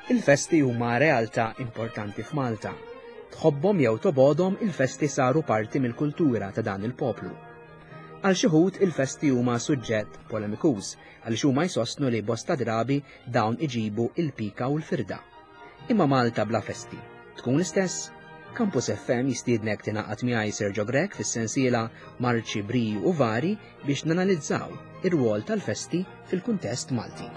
Il-festi huma realtà importanti f'Malta. Tħobbhom jew tobgħodhom il-festi saru parti mill-kultura ta' dan il-poplu. Għal xi wħud il-festi huma suġġett polemikuż għaliex huma jsostnu li bosta drabi dawn iġibu il-pika u l-firda. Imma Malta bla festi tkun l-istess? Campus FM jistiednek tingħaqad miegħi Sergio Grech fis-sensiela Marċi Briju u Vari biex nanalizzaw ir-rwol tal-festi fil-kuntest Malti.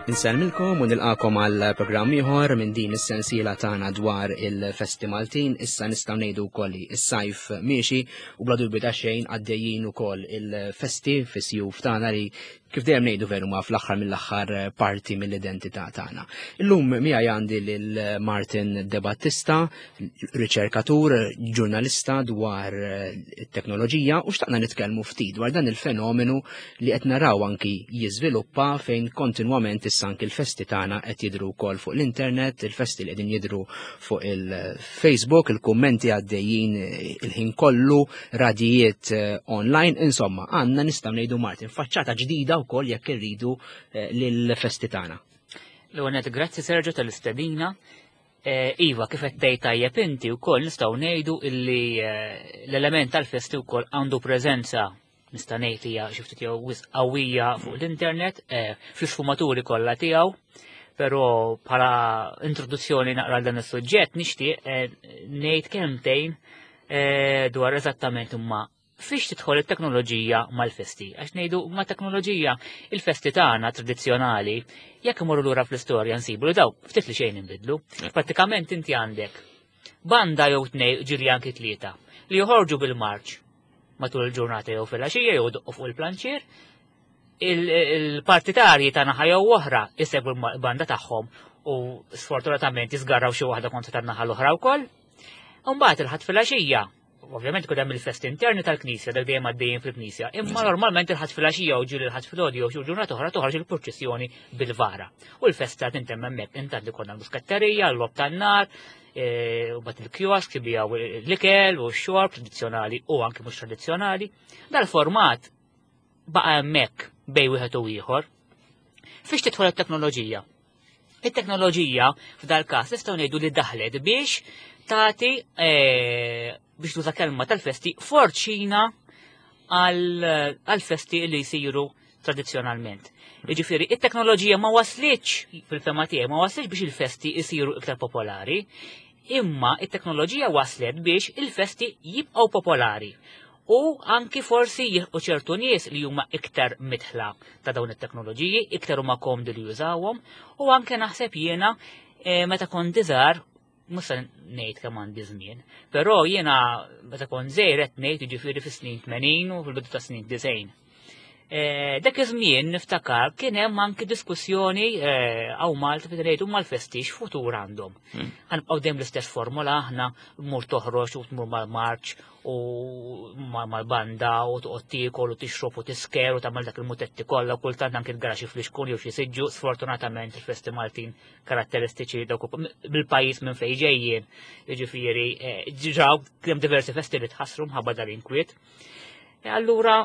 Insellmilkom u nilqakom għal programm ieħor minn din is-sensiela tagħna dwar il-festi Maltin. Issa nistgħu ngħidu wkoll li s-sajf miexi u bla dubju ta' xejn għaddejjin ukoll il-festi fis-sjuf tagħna li kif dejjem ngħidu veru ma fl-aħħar mill-aħħar eh, parti mill-identità tagħna. Illum miegħi għandi lil Martin De Battista, riċerkatur, ġurnalista dwar eh, it-teknoloġija u xtaqna nitkellmu ftit dwar dan il-fenomenu li qed naraw anki jiżviluppa fejn kontinwament issa anki l-festi tagħna qed jidhru wkoll fuq l-internet, il-festi li qegħdin jidhru fuq il-Facebook, il-kummenti għaddejjin eh, il-ħin kollu, radijiet eh, online, insomma, għandna nistgħu ngħidu Martin, faċċata ġdida wkoll jekk irridu eh, lill-festi tagħna. L-għonet, grazzi Sergio tal-istedina. Eh, iva, kif qed tgħid tajjeb inti wkoll nistgħu ngħidu illi l-element tal-festi wkoll għandu preżenza nista' ngħid hija xi ftit jew wisq qawwija fuq l-internet fl-isfumaturi kollha tiegħu. Però bħala introduzzjoni naqra dan is-suġġett nixtieq ngħid kelmtejn Eh, dwar eżattament imma fiex tidħol it-teknoloġija mal-festi. Għax ngħidu ma' teknoloġija il-festi tagħna tradizzjonali, jekk imorru lura fl-istorja nsibu li daw ftit li xejn inbidlu. Prattikament inti għandek banda jew tnej ġiri anki tlieta li joħorġu bil-marċ matul il-ġurnata jew fil-għaxija jew doqqu fuq il-planċier, il-partitarji ta' naħa jew oħra jsegwu l-banda tagħhom u sfortunatament jisgarraw xi waħda kontra tan-naħa l-oħra wkoll. Mbagħad il-ħadd filgħaxija, ovvjament ikun hemm il-festi interni tal-Knisja dak dejjem għaddejjin fil-Knisja, imma normalment il-ħadd filgħaxija u ġieli il-ħadd filgħodu jew xi ġurnata oħra toħroġ il-purċissjoni bil-vara. U l-festa tintemm hemmhekk intant li konna l-muskatterija, l-lob tan-nar, e, u bat il-kiosk jibijaw l-ikel u x-xorb tradizzjonali u anki mhux tradizzjonali. Dal-format baqa' hemmhekk bej wieħed u ieħor. Fiex tidħol it-teknoloġija? It-teknoloġija f'dal każ nistgħu ngħidu li daħlet biex tagħti eh, biex tuża kelma tal-festi forċina għal-festi li jsiru tradizzjonalment. Jiġifieri, it-teknoloġija ma waslitx fil-fema tiegħi ma waslitx biex il-festi jsiru iktar popolari, imma it-teknoloġija waslet biex il-festi jibqgħu popolari u anki forsi jilħqu ċertu nies li huma iktar mitħla ta' dawn it-teknoloġiji, iktar huma komdi li jużawhom u anke naħseb jiena eh, meta kont iżgħar mhux se ngħid kemm għandi żmien, però jiena meta kont żgħir qed ngħid jiġifieri fis-snin 80 u fil-bidu ta' snin 90. Eh, dak iż-żmien niftakar kien hemm anki diskussjoni eh, hawn Malta fejn ngħidu mal-festi x'futur għandhom. Hmm. Ħanibqgħu dejjem l-istess formula aħna mur toħroġ u tmur mal-marċ u mal-banda u toqgħod tiekol u tixrob u tisker u tagħmel dak il-mutetti kollha u kultant anki l-garaxi fl-ixkun jew xi siġġu, sfortunatament il-festi Maltin karatteristiċi dawk bil-pajjiż minn fejn ġejjin. Jiġifieri eh, ġraw kemm diversi festi li tħassru mħabba dal-inkwiet. E allura,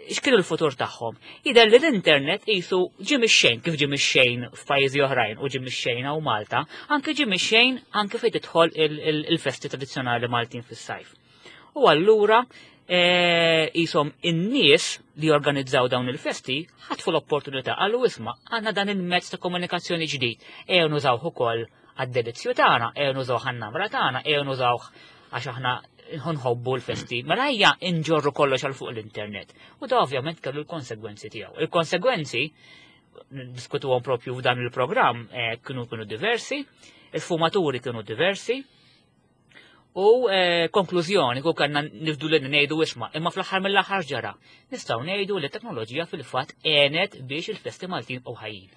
x'kienu l-futur tagħhom? Jidher li l-internet qisu ġie mix-xejn kif ġie mix-xejn f'pajjiżi oħrajn u ġie mix-xejn hawn Malta, anke ġie mix-xejn anke fejn tidħol il-festi tradizzjonali Maltin fis-sajf. U allura qishom e, in-nies li jorganizzaw dawn il-festi ħatfu l-opportunità qalu isma' għandna dan il-mezz ta' komunikazzjoni ġdid, ejjew nużawh ukoll għad-delizzju tagħna, ejjew nużawh għan-namra tagħna, ejjew nużawh għax aħna nħobbu l-festi, mela ejja nġorru kollox għal fuq l-internet. U da ovvjament kellu l-konsegwenzi tiegħu. Il-konsegwenzi diskutuhom propju f'dan il-programm eh, kienu kienu diversi, il-fumaturi kienu diversi, U eh, konklużjoni, ku kanna nifdu li ngħidu isma, imma fl-aħħar mill-aħħar ġara. Nistgħu ngħidu li t-teknoloġija fil-fatt għenet biex il-festi Maltin u ħajjin.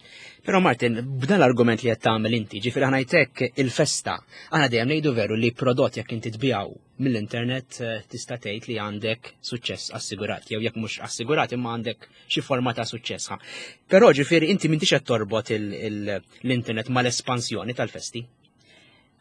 Però Martin, b'dan l-argument li qed tagħmel inti, ġifieri ħanajtek il-festa, aħna dejjem ngħidu veru li prodott jekk inti tbijaw mill-internet eh, tista' tgħid li għandek suċċess assigurat, jew jekk mhux assigurat imma għandek xi forma ta' suċċess. Però ġifieri inti m'intix qed torbot l-internet mal-espansjoni tal-festi.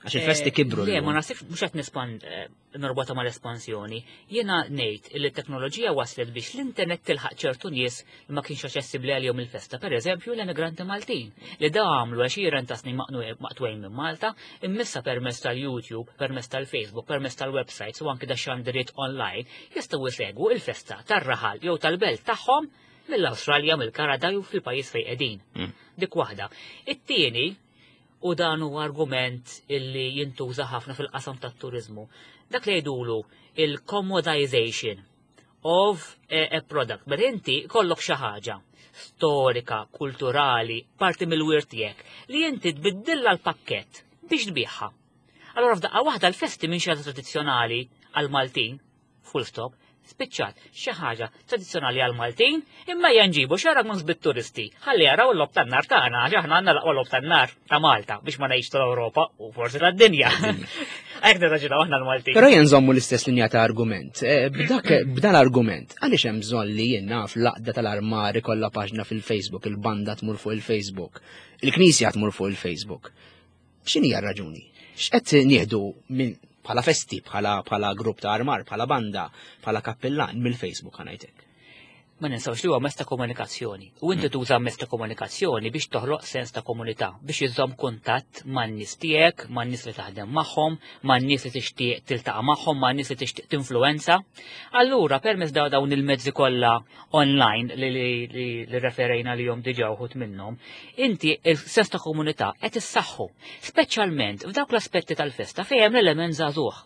Għax il-festi eh, kibru. Le, ma nasibx mhux qed nispand eh, norbota mal-espansjoni. Jiena ngħid li t-teknoloġija waslet biex l-internet tilħaq ċertu nies li ma kienx aċċessibbli għalihom il-festa, pereżempju l-emigranti Maltin, li da għamlu għexieren ta' snin maqtwejn minn Malta, immissa permezz tal-YouTube, permezz tal-Facebook, permezz tal-websites u anki da xandiriet online jistgħu jsegwu il-festa tar-raħal jew tal-belt tagħhom mill-Awstralja, mill-Kanada jew fil-pajjiż fejn qegħdin. Dik waħda. It-tieni, u dan huwa argument illi jintuża ħafna fil-qasam tat-turiżmu. Dak li jgħidulu il-commodization of a, a product. Meta inti kollok xi ħaġa storika, kulturali, parti mill-wirt tiegħek li inti tbiddilla l-pakkett biex tbigħha. Allora f'daqqa waħda l-festi minn xi tradizzjonali għal-Maltin full stop, spiċċat xi ħaġa tradizzjonali għal Maltin, imma ejja nġibu xi ragnus bit-turisti ħalli jaraw l-lob tan-nar tagħna għax aħna għandna l-aqwa lob tan-nar ta' Malta biex ma ngħidx tal-Ewropa u forsi tad-dinja. Hekk nirraġunaw aħna l-Maltin. Però jien nżommu l-istess linja ta' argument. Eh, b'dak b'dan argument, għaliex hemm bżonn li jien naf l-aqda tal-armar ikollha paġna fil-Facebook, il-banda tmur fuq il-Facebook, il-knisja tmur fuq il-Facebook. X'inhi r-raġuni? X'qed nieħdu minn bħala festi, bħala bħala grupp ta' armar, bħala banda, bħala kappillan mill-Facebook ħanajtek? Ma ninsawx li huwa mezz ta' komunikazzjoni. U inti hmm. tuża mezz ta' komunikazzjoni biex toħloq sens ta' komunità, biex iżżomm kuntatt man-nies tiegħek, man-nies li taħdem magħhom, man-nies li tixtieq tiltaqa' magħhom, man-nies li tixtieq tinfluwenza. Allura permezz dawn il-mezzi kollha online li li li referejna li jom diġa uħut minnhom, inti il-sens ta' komunità qed issaħħu, speċjalment f'dawk l-aspetti tal-festa fejn hemm l-element żagħżugħ.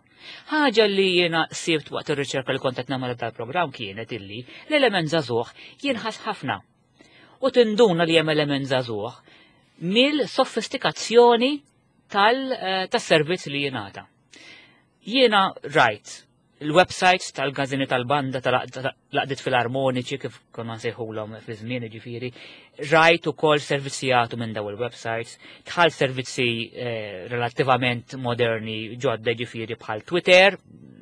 Ħaġa li jiena sibt waqt ir-riċerka li kont qed nagħmel tal-programm kienet illi l-element żagħżugħ jinħass ħafna. U tinduna li hemm element żagħżugħ mill-sofistikazzjoni tal-servizz eh, li jingħata. Jiena rajt il-websites tal-gazini tal-banda tal-laqdiet filarmoniċi kif konna nsejħulhom fi żmien ġifieri, rajt ukoll servizzi jagħtu minn daw il-websites, tħal servizzi eh, relattivament moderni ġodda ġifieri bħal Twitter,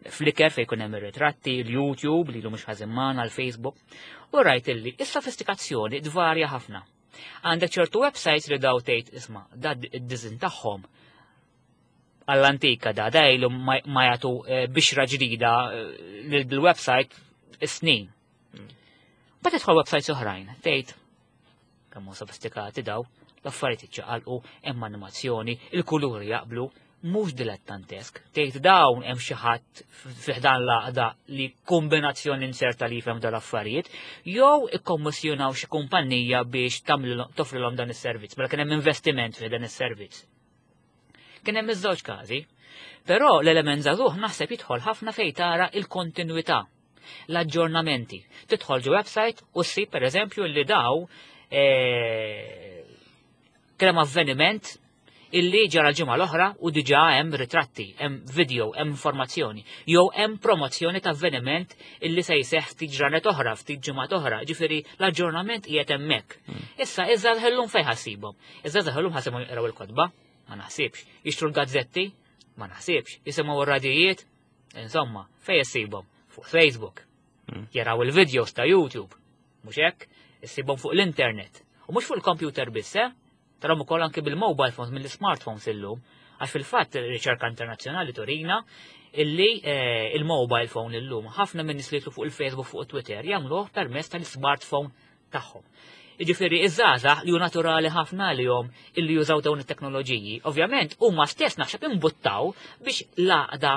Flickr fejn jkun hemm ir-ritratti, l-YouTube li mhux ħażin magħna, l-Facebook, u rajt illi is-sofistikazzjoni tvarja ħafna. Għandek ċertu websites li daw tgħid isma' dad id-diżin tagħhom għall-antika da, da ilu ma jagħtu eh, bixra ġdida eh, lill-website snin. Ma tidħol websites oħrajn, tgħid kemm sofistikati daw, l-affarijiet iċċaqalqu, hemm animazzjoni, il-kuluri jaqblu, mhux dilettantesk. Tgħid dawn hemm xi ħadd fiħdan l-għaqda li kombinazzjoni inserta li jifhem dal-affarijiet, jew ikkommissjonaw xi kumpanija biex toffrilhom dan is-servizz, mela kien hemm investiment fi dan is-servizz. Kien hemm iż-żewġ każi. Però l-element żagħżugħ naħseb jidħol ħafna fejn tara il-kontinwità, l-aġġornamenti. Tidħol ġo website u ssib pereżempju li daw eh, kien hemm avveniment illi ġara l-ġimgħa l-oħra u diġà hemm ritratti, hemm video, hemm informazzjoni, jew hemm promozzjoni ta' avveniment illi se jseħħ ftit ġranet oħra, ftit ġimgħat oħra, ġifieri l-aġġornament qiegħed hemmhekk. Hmm. Issa iżgħar llum fejn ħassibhom. Iż-żgħażagħ illum ħasimhom jaqraw il-kotba? Ma naħsibx. Jixtru l-gazzetti? Ma naħsibx. Jisimgħu r-radijiet? Insomma, fejn issibhom? Fuq Facebook. Hmm. Jaraw il-videos ta' YouTube. Mhux hekk? Issibhom fuq l-internet. U mhux fuq il-computer biss, eh? Tarahom ukoll anke bil-mobile phones mill-smartphones illum. Għax fil-fatt riċerka internazzjonali turina illi eh, il-mobile phone illum ħafna minn nies li fuq il-Facebook fuq Twitter jagħmluh permezz tal-smartphone tagħhom. Jiġifieri iż-żgħażagħ li hu naturali ħafna għalihom illi jużaw dawn it-teknoloġiji, ovvjament huma stess naħseb imbuttaw biex l-għaqda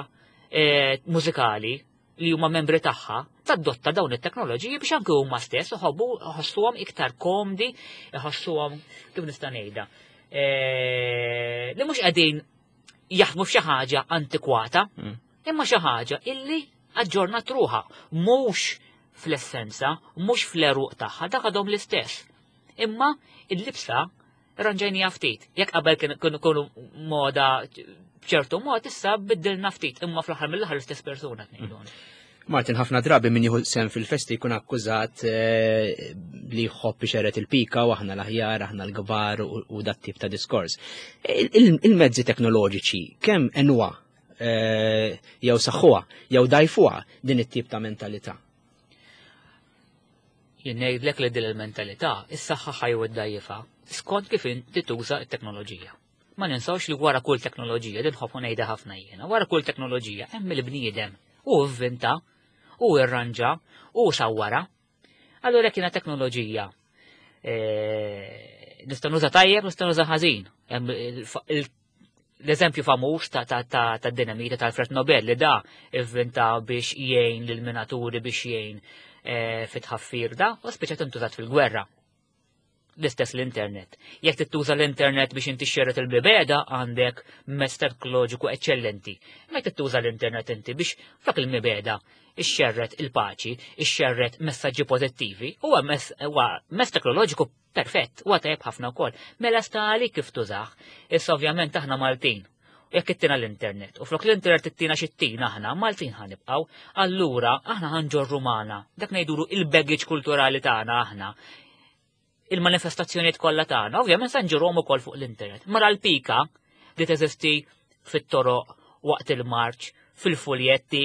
eh, mużikali li huma membri tagħha tadotta dawn it-teknoloġiji biex anke huma stess iħobbu iħossuhom iktar komdi, iħossuhom kif nista' ngħidha. Eh, li mhux qegħdin jaħdmu f'xi ħaġa antikwata, mm. imma xi ħaġa illi aġġornat ruħha, mhux fl-essenza, mhux fl-eruq tagħha, dak għadhom l-istess. Imma il-libsa ranġajnija ftit. Jekk qabel kienu kunu moda b'ċertu mod, issa biddilna ftit, imma fl-aħħar mill-aħħar l-istess persuna tnejdu. Martin, ħafna drabi min jieħu sem fil-festi jkun akkużat eh, li jħobb ixeret il-pika u aħna l-aħjar, aħna l-kbar u dat tip ta' diskors. Il-mezzi teknoloġiċi kemm enwa eh, jew saħħuha jew dajfuha din it-tip ta' mentalità? Jien ngħidlek li din il-mentalità issaħħaħa jew iddajjifha skont kif inti tuża t-teknoloġija. Ma ninsawx li wara kull teknoloġija, din ħobb ngħidha ħafna jiena, wara kull teknoloġija hemm il-bniedem u vvinta u irranġa u sawwara. Allura jekk jiena teknoloġija eh, nista' nuża tajjeb, nista' nuża ħażin. L-eżempju famuż ta' dinamita ta' Alfred Nobel li da ivvinta biex jgħin lill-minaturi biex jgħin eh, fit-tħaffir da u spiċċa tintużat fil-gwerra. L-istess l-internet. Jekk tittuża l-internet biex inti xerret il-mibeda għandek mezz teknoloġiku eċċellenti. Ma jekk tittuża l-internet inti biex flok il-mibeda ixxerret il-paċi, ixxerret messaġġi pożittivi, huwa mezz teknoloġiku perfett, huwa tajjeb ħafna wkoll. Mela sta għalik kif tużah. Issa ovvjament aħna Maltin. Jekk ittina l-internet, u flok l-internet ittina xittina aħna, Maltin ħanibqaw, allura aħna ħanġorru magħna. Dak ngħidulu il-baggage kulturali tagħna aħna il-manifestazzjonijiet kollha tagħna, ovvjament se nġurhom ukoll fuq l-internet. Mara l-pika li teżisti fit-toroq waqt il-marċ, fil-fuljetti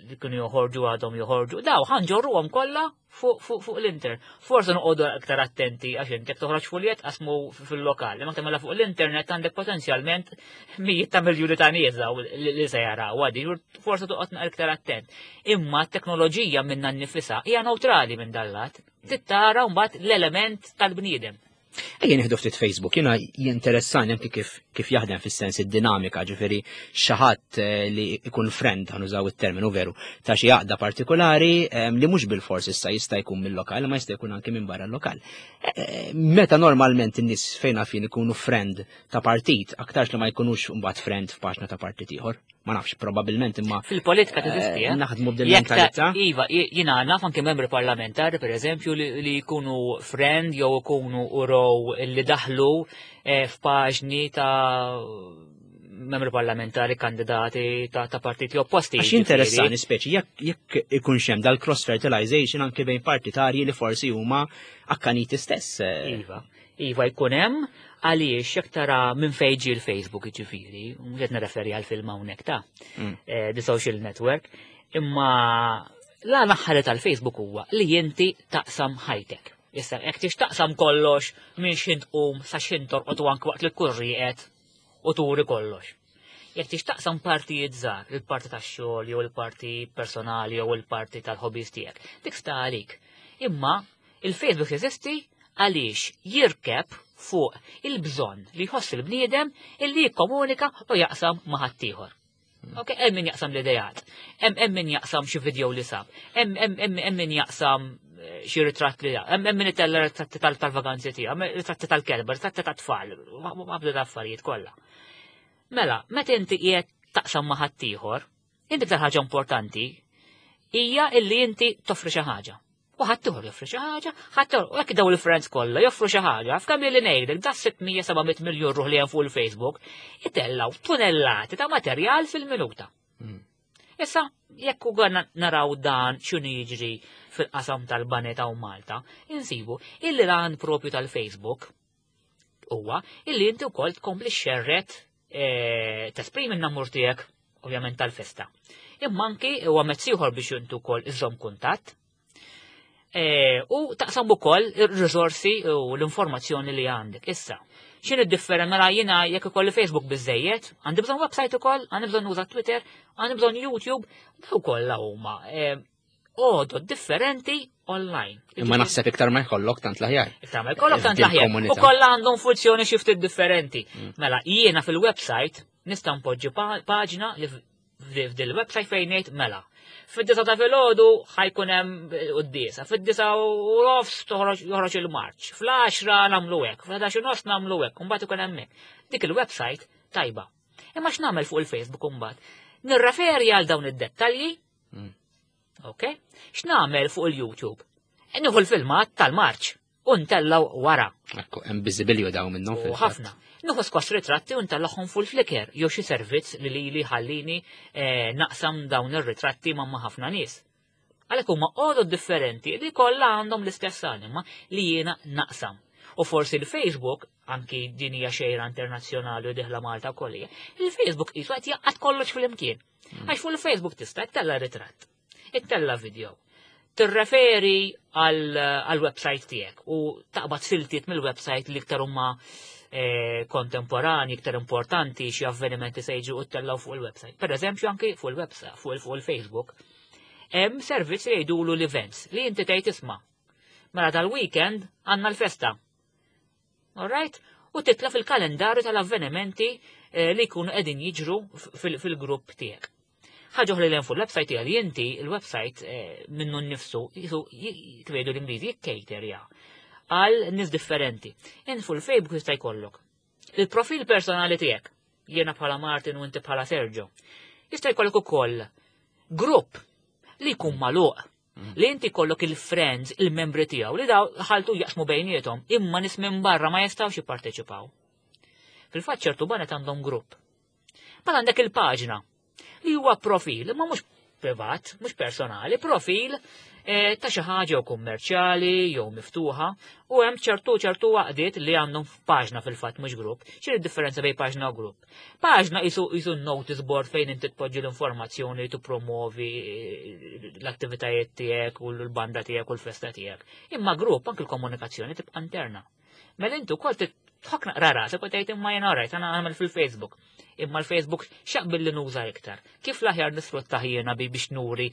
li kienu joħorġu għadhom joħorġu, daw ħanġorruhom kollha fuq fu, fu l-internet. Forse noqogħdu aktar attenti għax inti jekk toħroġ fuljett qasmu fil-lokal, imma tagħmilha fuq l-internet għandek potenzjalment mijiet ta' miljuni ta' nies li se jaraw għadi, forse toqgħod aktar attent. Imma t-teknoloġija minna nnifisha hija neutrali minn dallat. Tittara mbagħad l-element tal-bniedem. Ejja nieħdu ftit Facebook, jiena jinteressani anki kif, kif jaħdem fis-sens id-dinamika, ġifieri xi ħadd eh, li ikun friend ħanużaw it-terminu veru ta' xi għaqda partikolari eh, li mhux bil-fors issa jista' jkun mill-lokal, ma jista' jkun anki minn barra l-lokal. Eh, meta normalment in-nies fejn fin ikunu friend ta' partit, aktarx li ma jkunux mbagħad friend f'paġna ta' partit ieħor. Ma nafx, probabbilment imma. Fil-politika teżisti, eh? Naħdmu b'din mentalità. Iva, jina naf anke membri parlamentari, per eżempju, li jkunu friend jew ikunu uraw li daħlu eh, f'paġni ta' membri parlamentari kandidati ta', ta partiti opposti. Għax interessani speċi, jekk ikun xem dal-cross fertilization anke bejn partitarji li forsi huma akkaniti stess. Eh. Iva. Iva jkun hemm għaliex jekk tara minn fejn ġie l-Facebook jiġifieri, mhux qed nirreferi għal film hawnhekk ta' mm. eh, The Social Network, imma la naħħari tal-Facebook huwa li inti taqsam ħajtek. Issa, jekk tix taqsam kollox minn xint tqum sa xint torqod u anke waqt li tkun rieqed u turi kollox. Jekk tix taqsam partijiet żgħar, il-parti tax-xogħol jew il-parti personali jew il-parti tal-hobbies tiegħek, dik sta għalik. Imma Il-Facebook jeżisti għaliex jirkeb fuq il-bżonn li jħoss il-bniedem illi jikkomunika u jaqsam ma' ħaddieħor. Ok, hemm min jaqsam l-idejat, hemm min jaqsam xi video li sab, hemm min jaqsam eh, xi ritratt li hemm min itella ritratti tal-vaganzi tiegħu, ritratti tal-kelba, ritratti tat-tfal, ma bda affarijiet kollha. Mela, meta inti qiegħed taqsam ma' ħaddieħor, inti iktar ħaġa importanti hija illi inti toffri xi ħaġa. U ħaddieħor joffri xi ħaġa, ħaddieħor, u hekk daw il-friends kollha joffru xi ħaġa, f'kemm li ngħidlek da 600-700 miljun ruħ li hemm fuq il-Facebook, itellaw tunellati ta' materjal fil-minuta. Hmm. Issa, jekk u naraw dan x'inhu jiġri fil-qasam tal-baneta u Malta, insibu illi lan propju tal-Facebook huwa illi inti wkoll tkompli xerret eh, tesprimi n-namur tiegħek ovvjament tal-festa. Imma anki huwa mezz ieħor biex intu wkoll iżżomm kuntatt eh, u taqsam ukoll ir-riżorsi u l-informazzjoni li għandek. Issa, x'in id-differenza mela jiena jekk ikolli Facebook biżejjed, għandi bżonn website ukoll, għandi bżonn nuża Twitter, għandi bżonn YouTube, daw kollha huma eh, għodod differenti online. Imma naħseb iktar ma jkollok tant l-aħjar. Iktar ma jkollok tant l-aħjar. U kollha għandhom funzjoni xi ftit differenti. Mm. Mela, jiena fil-website nista' npoġġi paġna li f'dil website fejn ngħid mela. Fid-disa ta' filgħodu ħajkun hemm quddiesa, fid-disa u nofs toħroġ joħroġ il-marċ, fl-10 nagħmlu hekk, fl-11 u nofs nagħmlu hekk, u mbagħad ikun hemm hekk. Dik il-website tajba. Imma x'nagħmel fuq il-Facebook imbagħad? Nirreferi għal dawn id-dettalji Mm. Ok? X'nagħmel fuq il-YouTube? Nieħu l-filmat tal-marċ u ntellaw wara. Ekku, hemm biżibilju daw minnhom fil Ħafna. Nieħu skos ritratti u ntellahom fuq il-Flickr jew xi servizz li lili ħallini eh, naqsam dawn ir-ritratti ma' ħafna nies. Għalhekk huma għodod differenti li kollha għandhom l-istess anima li jiena naqsam. U forsi l-Facebook, anki din hija xejra internazzjonali u diħla Malta wkoll hija, il-Facebook qisu qed jaqgħad kollox flimkien. Hmm. Għax fuq il-Facebook tista' ittella ritratt, ittella video, tirreferi għal-website tiegħek u taqbad siltiet mill-website li iktar huma kontemporani, iktar importanti, xi avvenimenti se jiġu u tellgħu fuq il-website. Per eżempju, anki fuq il-website, fuq il-Facebook, hemm servizz li jgħidulu l-events li inti tgħid isma'. Mela dal-weekend għandna l-festa. All right? U titla fil-kalendarju tal-avvenimenti li jkunu qegħdin jiġru fil-grupp tiegħek. Ħaġa oħra li hemm fuq il-website hija li inti il-website minnu nnifsu jisu kif jgħidu l-Ingliżi jikkejterja għal nies differenti. Int fuq il-Facebook jista' jkollok il-profil personali tiegħek, jiena bħala Martin u inti bħala Sergio. Jista' jkollok ukoll grupp li jkun magħluq li inti kollok il-friends, il-membri tiegħu li daw ħaltu jaqsmu bejniethom, imma nies minn barra ma jistgħux jipparteċipaw. Fil-fatt ċertu banet għandhom grupp. Bħal għandek il-paġna li huwa profil, imma mhux privat, mhux personali, profil ta' xi ħaġa jew kummerċjali jew miftuħa, u hemm ċertu għaqdiet li għandhom f'paġna fil-fatt mhux grupp. X'inhi d-differenza bejn paġna u grupp? Paġna jisu notice board fejn inti tpoġġi l-informazzjoni li tippromovi l-attivitajiet tiegħek u l-banda tiegħek u l-festa tiegħek. Imma grupp anke l-komunikazzjoni tibqa' interna. Mela inti wkoll tħok naqra rasek u tgħid imma jiena rajt għana nagħmel fil-Facebook. Imma l-Facebook x'jaqbil li nuża iktar. Kif l-aħjar nisfrutta jiena biex nuri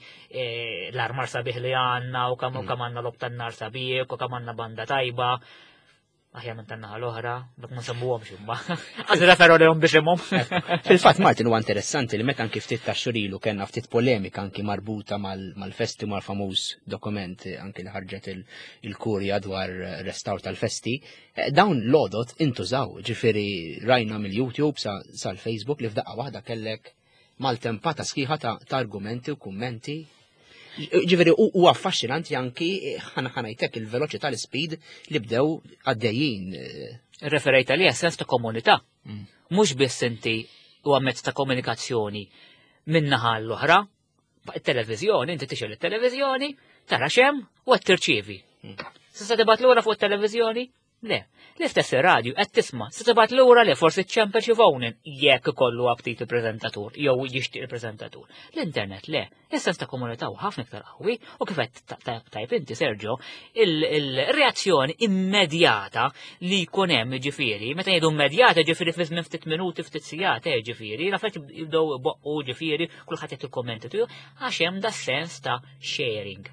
l-armar sabiħ li għandna u kemm kemm għandna logħob tan-nar sabiħ u kemm għandna banda tajba. Aħjar minn tan-naħa l-oħra, dak ma nsemmuhomx imma. Għaż referu lehom biex imhom. Fil-fatt Martin huwa interessanti li meta anki ftit ta' xurilu kellna ftit polemika anki marbuta mal-festi mal-famuż dokument anki li ħarġet il-kurja dwar restawr tal-festi. Dawn l-għodot intużaw, ġifieri rajna mill-YouTube sal-Facebook li f'daqqa waħda kellek maltempata sħiħa ta' argumenti u kummenti. Ġifieri u affaxxinanti anki ħanajtek il-veloċità l-speed li bdew għaddejjin. Referejt għalija sens ta' komunità. Mhux biss inti huwa mezz ta' komunikazzjoni min-naħa l-oħra, it-televiżjoni, inti tixgħel it-televiżjoni, tara x'hemm u qed tirċievi. Se tibgħat lura fuq it-televiżjoni? Le, l-istess ir-radju qed tisma', se tibgħat lura le forsi ċċempel xi phone jekk ikollu aptit il-preżentatur jew jixtieq il-preżentatur. L-internet le, is-sens ta' komunità hu ħafna iktar qawwi u kif qed tajb inti Sergio, il-reazzjoni immedjata li jkun hemm ġifieri, meta jgħidu immedjata ġifieri fi żmien ftit minuti, ftit sigħat, ġifieri, l-affarijiet jibdew boqqu ġifieri, kulħadd jagħti l-kummenti tiegħu, għax hemm da sens ta' sharing.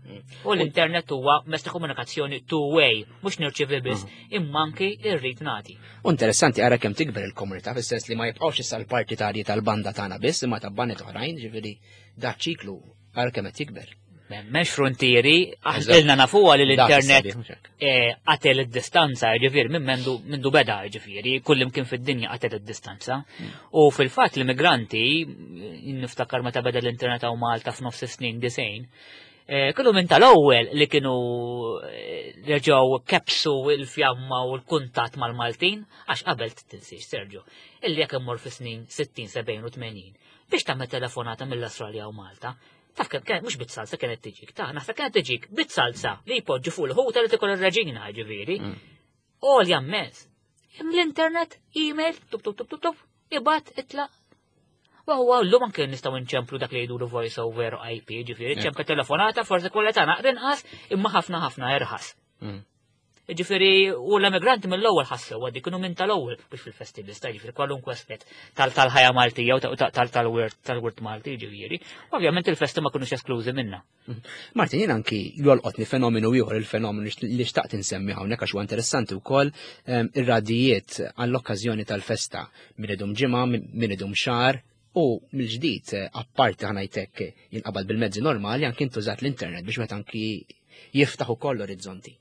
U l-internet huwa mezz ta' komunikazzjoni two-way, mhux nirċievi biss, imma anki irrid nagħti. U interessanti ara kemm tikber il-komunità, fis-sens li ma jibqgħux issa l-partitarji tal-banda tagħna biss, imma ta' bandet oħrajn, ġifieri da ċiklu ara kemm qed jikber. M'hemmx frontieri, ilna nafuha li Dak l-internet is-sabiħ, mhux hekk. qatel id-distanza, ġifieri minn mendu beda, ġifieri, kull imkien fid-dinja qatel id-distanza. U fil-fatt l-immigranti, niftakar meta beda l-internet hawn Malta f'nofs is-snin 90, kienu minn tal-ewwel li kienu reġgħu kebsu l-fjamma u l-kuntatt mal-Maltin, għax qabel tinsiex, Sergio, illi jekk immur fi snin 60, 70 u 80, biex tagħmel telefonata mill-Awstralja u Malta, taf kemm kien, mhux bit-salsa kienet tiġik, ta' naħseb kienet tiġik bit-salsa li jpoġġu fuq il-ħuta li tikol ir-reġina, ġifieri. Għolja mmens. Im l-internet, email, tup, tup, tup, tup, tup, ibat, itlaq. U huwa llum anke nistgħu nċemplu dak li jgħidulu voice over IP, ġifieri, ċempel telefonata, forsi kollha tagħna inqas, imma ħafna ħafna irħas. Ġifieri, u l-emigranti mill-ewwel ħassew għaddi kienu minn tal-ewwel biex fil-festi biss, ġifieri kwalunkwe aspett tal-ħajja Maltija u tal-wirt Malti, ġifieri. Ovvjament il-festi ma kinux esklużi minna. Martin, jien anki jolqotni fenomenu ieħor, il-fenomenu li xtaqt insemmi hawnhekk għax huwa interessanti wkoll, ir-radijiet għall-okkażjoni tal-festa min idum ġimgħa, min idum xahar, u mill-ġdid, apparti ħanajtek jinqabad bil-mezzi normali, anki intużat l-internet biex meta anki jiftaħ ukoll l-orizzonti.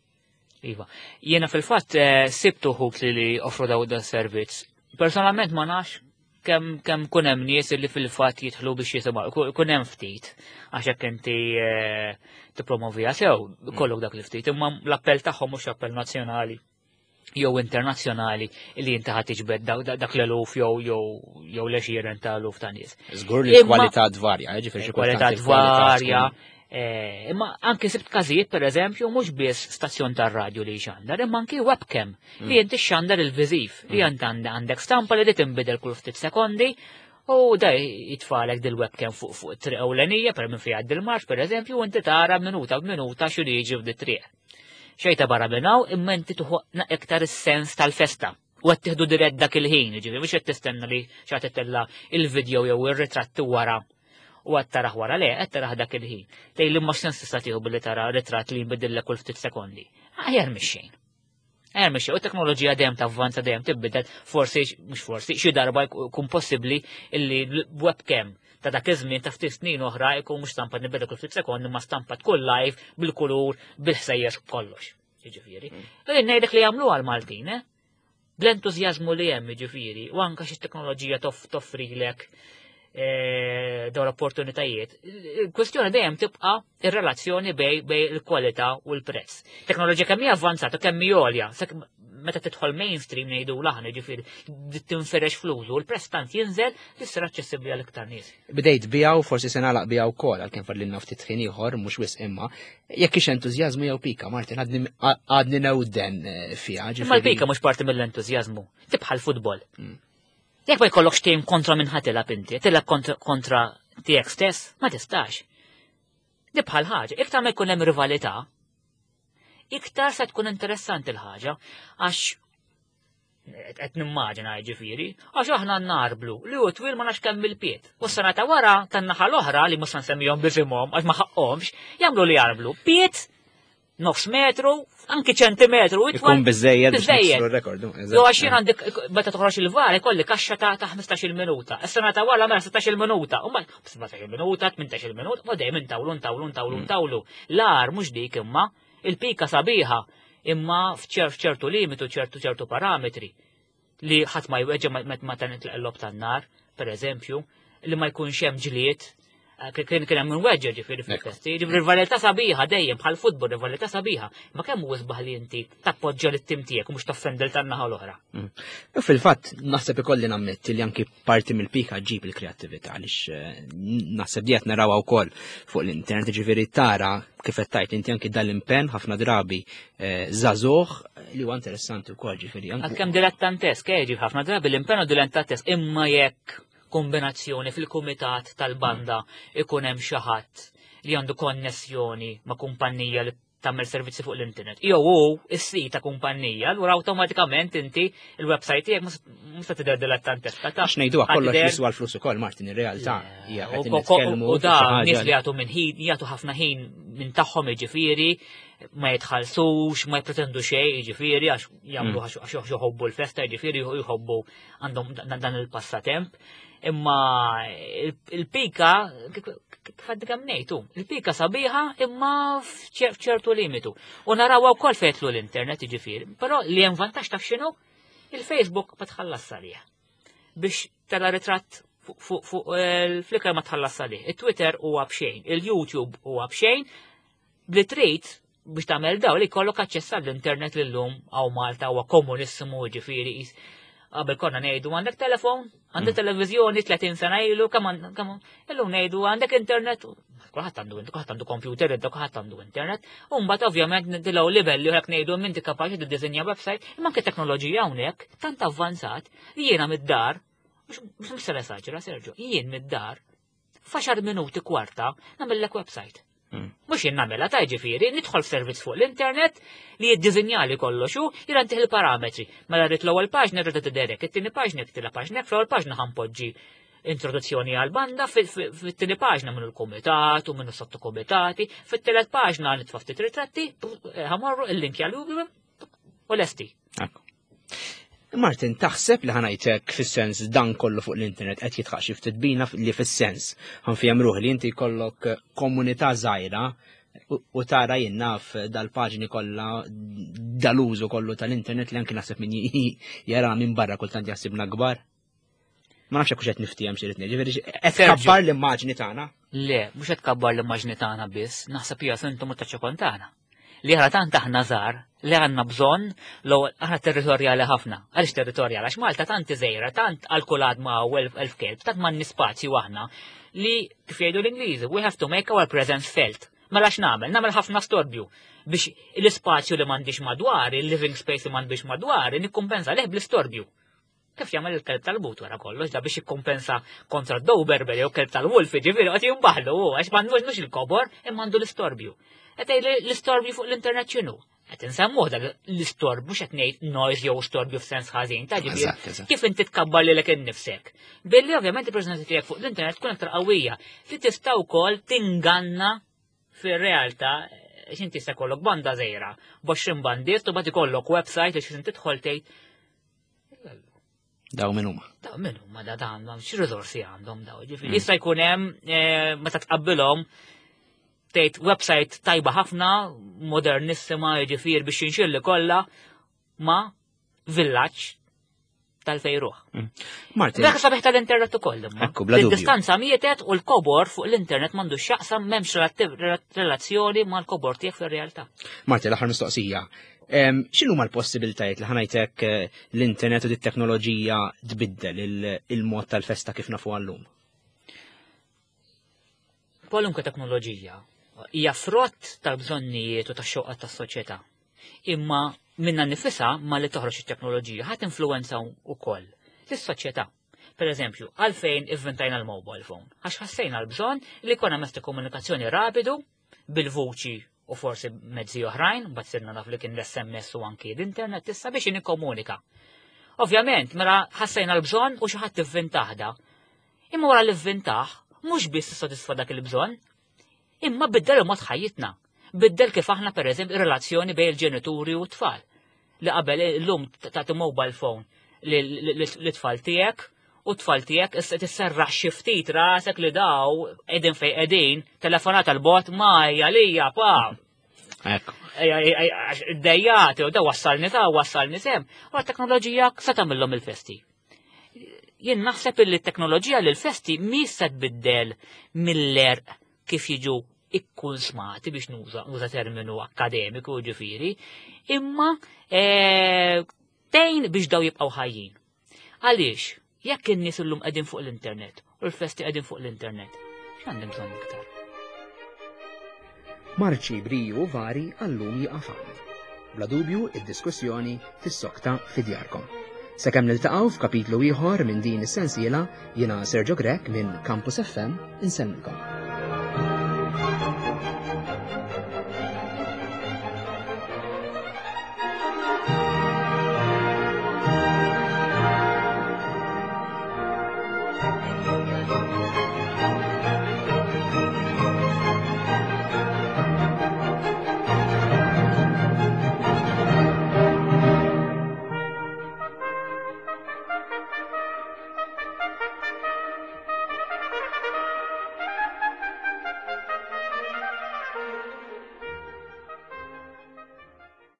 Iva, jiena fil-fatt sibtu ħut li offru daw dan servizz. Personalment ma nafx kemm kun hemm nies li fil-fatt jidħlu biex jisimgħu, kun hemm ftit, għax hekk inti tippromovija sew, kollok dak li ftit, imma l-appell tagħhom mhux appell nazzjonali jew internazzjonali li inti ħadd tiġbed dak l-eluf jew l-għexieren ta' eluf ta' nies. Żgur li l-kwalità tvarja, ġifieri xi Kwalità kultant il-kwalità tvarja. tkun Imma anki sibt każijiet pereżempju mhux biss stazzjon tar-radju li jxandar, imma anki webcam li inti xandar il-viżiv, li int għandek stampa li tinbidel kull ftit sekondi u da jitfalek dil-webcam fuq it-triq ewlenija per minn fejn għaddi l-marx pereżempju u inti tara minuta b'minuta x'inhu jiġi f'di triq. Xejta barra minn hawn imma inti tuħu iktar is-sens tal-festa. U qed tieħdu dirett dak il-ħin, jiġifieri mhux qed tistenna li xi ħadd itella' il-video jew ir-ritratti wara u qed tarah wara le, qed tarah dak il-ħin. Tgħid li ma x'sens tista' tieħu billi tara ritratt li jinbidillek kull ftit sekondi. Aħjar mix-xejn. Aħjar mix-xejn. U t-teknoloġija dejjem tavvanza dejjem tibbidel, forsi mhux forsi, xi darba jkun possibbli illi webcam ta' dak iż-żmien ta' ftit snin oħra jkun mhux stampa nibdel kull ftit sekondi ma stampa tkun live bil-kulur, bil-ħsejjes b'kollox. Jiġifieri. Mm. Ngħidlek li jagħmlu għal Maltin, eh? Bl-entużjażmu li hemm jiġifieri, u anke xi teknoloġija toffrilek eh, dawn l-opportunitajiet. Il-kwestjoni dejjem tibqa' ir-relazzjoni bej bej il-kwalità u l-prezz. Teknoloġija kemm hija avvanzata, kemm hija għolja, meta tidħol mainstream ngħidu l-aħna ġifieri tinferex fl-użu, l-prezz tant jinżel li ssir aċċessibbli għal iktar nies. Bdejt biha u forsi se nagħlaq biha wkoll għalkemm fadlilna ftit ħin ieħor mhux wisq imma jekk hix entużjażmu jew pika, Martin għadni newden eh, fiha. Imma l-pika mhux parti mill-entużjażmu, tibħal futbol. Mm. Jekk ma jkollokx tim kontra minn ħadd tilgħab inti, tilgħab kontra tiegħek stess, ma tistax. Dibħal ħaġa, iktar ma jkun hemm rivalità, iktar se tkun interessanti l-ħaġa, għax qed nimmaġina jiġifieri, għax aħna narblu li hu twil ma nafx kemm il-piet. U s-sena ta' wara tan-naħa l-oħra li mhux se nsemmihom b'isimhom għax ma ħaqqhomx, jagħmlu li jarblu piet nofs metru, anki ċentimetru. Ikun biżejjed biex rekord. Jo għax jien għandek meta toħroġ il-var ikolli kaxxa ta' 15-il minuta. Is-sena ta' wara mela 16-il minuta. U 17-il minuta, 18-il minuta, u dejjem intawlu, intawlu, intawlu, mm. intawlu. L-ar mhux dik imma il-pika sabiħa imma f'ċertu limitu, ċertu ċertu parametri li ħadd ma jweġġa ma ta' nitlaq l-lob tan-nar, per eżempju, li ma jkunx hemm ġlied, eh, kien kien hemm weġġa ġifieri fil-festi, ġifieri rivalità sabiħa dejjem bħal futbol rivalità sabiħa, ma kemm hu isbaħ li inti tappoġġja lit-tim tiegħek u mhux toffendel tan-naħa l-oħra. Mm. U fil-fatt naħseb ikolli nammetti li anki parti mill-pika ġib il-kreattività għaliex eh, naħseb di qed narawha wkoll fuq l-internet, ġifieri tara kif qed tgħid inti anki dal-impenn ħafna drabi eh, żagħżugħ li huwa interessanti wkoll ġifieri. Għalkemm dilettantesk, eh, ġif ħafna drabi l-impenn u dilettantesk imma jekk kombinazzjoni fil-kumitat tal-banda ikun hemm xi ħadd li għandu konnessjoni ma' kumpanija li tagħmel servizzi fuq l-internet. Jew hu is-sit ta' kumpanija, allura awtomatikament inti il-website tiegħek mhux se tidher dilettanteska ta' Għax ngħiduha kollox jiswa l-flus ukoll Martin ir-realtà hija qed nitkellmu. U da nies li jagħtu minn ħin, jagħtu ħafna ħin minn tagħhom jiġifieri ma jitħallsux, ma jpretendu xejn, jiġifieri għax jagħmlu mm. għax jħobbu l-festa, jiġifieri jħobbu għandhom dan il-passatemp. Imma il-pika, kif għaddi kemm ngħidu, il-pika sabiħa imma f'ċertu limitu. U naraw wkoll fejtlu l-internet jiġifieri, però li hemm vantaġġ taf x'inhu? Il-Facebook ma tħallas għalih. Biex tela ritratt fuq il-Flickr ma tħallas għalih. Il-Twitter huwa b'xejn, il-YouTube huwa b'xejn, Li trid biex tagħmel daw li jkollok aċċess għall-internet li llum hawn Malta huwa komunissimu ġifieri qabel konna ngħidu għandek telefon, għandek mm. televiżjoni 30 sena ilu, kemm kemm illum ngħidu għandek internet, kulħadd għandu kulħadd għandu computer, inta kulħadd għandu internet, u mbagħad ovvjament nidilgħu livelli u hekk ngħidu inti kapaċi tiddisinja website, imma anke teknoloġija hawnhekk tant avvanzat li jiena mid-dar, mhux se nesaġera Sergio, jien mid-dar F'għaxar minuti kwarta nagħmellek website. Hmm. Mhux jien nagħmilha ta' ġifieri, nidħol f'servizz fuq l-internet li jiddiżinjali kollox u jirantih il-parametri. Mela rrid l-ewwel paġna rrid tiderek, it-tieni paġna it-tiela paġna, fl-ewwel paġna ħanpoġġi introduzzjoni għal banda, fit-tieni paġna minnu l-kumitat u minnu sottokumitati, fit-tielet paġna nitfa' ftit ritratti, eh, ħamorru il-link għal u lesti. Martin, taħseb li ħanajtek fis-sens dan kollu fuq l-internet qed jitħaq xi ftit bina li fis-sens ħanfijem ruħi li inti jkollok komunità żgħira u tara jien naf dal-paġni kollha dal-użu kollu tal-internet li anki naħseb min jara minn barra kultant jaħsibna kbar. Ma nafx hekk qed niftiehem xi rid ngħid, ġifieri qed tkabbar l-immaġni tagħna. Le, mhux qed tkabbar l-immaġni tagħna biss, naħseb hija sintomu ta' ċokon tagħna. Li aħna tant aħna żgħar li għandna bżonn l aħna territorjali ħafna. Għaliex territorjali? Għax Malta tant iżejra, tant għal kull għadma u elf kelb, tant m'għandni spazju aħna li kif jgħidu l-Ingliżi, we have to make our presence felt. Mela x'nagħmel? Nagħmel ħafna storbju biex l-ispazju li m'għandix madwari, il-living space li m'għandix madwari, nikkumpensa leh bl-istorbju. Kif jagħmel il-kelb tal-but wara kollox, da biex jikkompensa kontra d-Doberman jew kelb tal-wolf, ġifieri qed jimbaħlu hu għax m'għandux mhux il-kobor imma għandu l-istorbju. Qed l-istorbju fuq l-internet x'inhu? Qed insemmuh dak l-istorb mhux qed ngħid noise jew storbju f'sens ħażin ta' ġifieri kif inti tkabbar lilek innifsek. Billi ovvjament il-preżenza tiegħek fuq l-internet tkun aktar qawwija li tista' wkoll tinganna fir-realtà x'inti se kollok banda żgħira, b'għoxrin bandist u bagħad ikollok website li x'inti tidħol tgħid Daw min huma. Daw min huma da għandhom x'riżorsi għandhom daw. Ġifieri mm. jista' jkun hemm eh, meta tqabbilhom tgħid website tajba ħafna, modernissima, jiġifieri biex jinxilli kollha ma' villaġġ tal-fejruħ. Mm. Martin. Dak sabiħ tal-internet ukoll imma. Ekku, bla dubju. Distanza mietet u l-kobor fuq l-internet m'għandux x'jaqsam m'hemmx relazzjoni mal-kobor tiegħek fir-realtà. Martin, l-aħħar mistoqsija. X'inhu ma l-possibiltajiet li ħanajtek eh, l-internet u dit-teknoloġija tbiddel il-mod tal-festa kif nafu għallum? Kwalunkwe teknoloġija hija frott tal-bżonnijiet u tax-xewqat tas-soċjetà. Imma minna nifisha ma li toħroġ it-teknoloġija ħadd influenza wkoll lis-soċjetà. Per eżempju, għalfejn ivvintajna l-mobile phone? Għax ħassejna l-bżonn li jkollna mezz ta' komunikazzjoni rapidu bil-vuċi u forsi mezzi oħrajn, mbagħad sirna naf li kien l-SMS u anki l-internet issa biex nikkomunika. Ovvjament, mela ħassejna l-bżonn u xi ħadd ivvintaħda. Imma wara li vvintah, mhux biss sodisfa dak il-bżonn, imma biddel il-mod ħajjitna. Biddel kif aħna pereżempju relazzjoni bejn il-ġenituri u t-tfal. Li qabel illum tagħti mobile phone li tfal tiegħek u t-tfal tiegħek issa tisserraħ xi ftit rasek li daw qegħdin fejn qegħdin, telefonata l-bot ma hija lija pa. Ekku. Dejjati u da wassalni ta' wassalni sem. U t-teknoloġija se tagħmilhom il-festi. Jien naħseb li t-teknoloġija li l-festi mhix se tbiddel mill-erq kif jiġu ikkunsmati biex nuża nuża terminu akademiku ġifieri, imma eh, tgħin biex daw jibqgħu ħajjin. Għaliex, jekk in-nies illum qegħdin fuq l-internet u l-festi qegħdin fuq l-internet, x'għandhom bżonn iktar? Marċi briju vari għallum jiqaf hawn. Bla dubju id-diskussjoni tissokta fi djarkom. Sakemm niltaqgħu f'kapitlu ieħor minn din is-sensiela, jiena Sergio Grech minn Campus FM insellmilkom.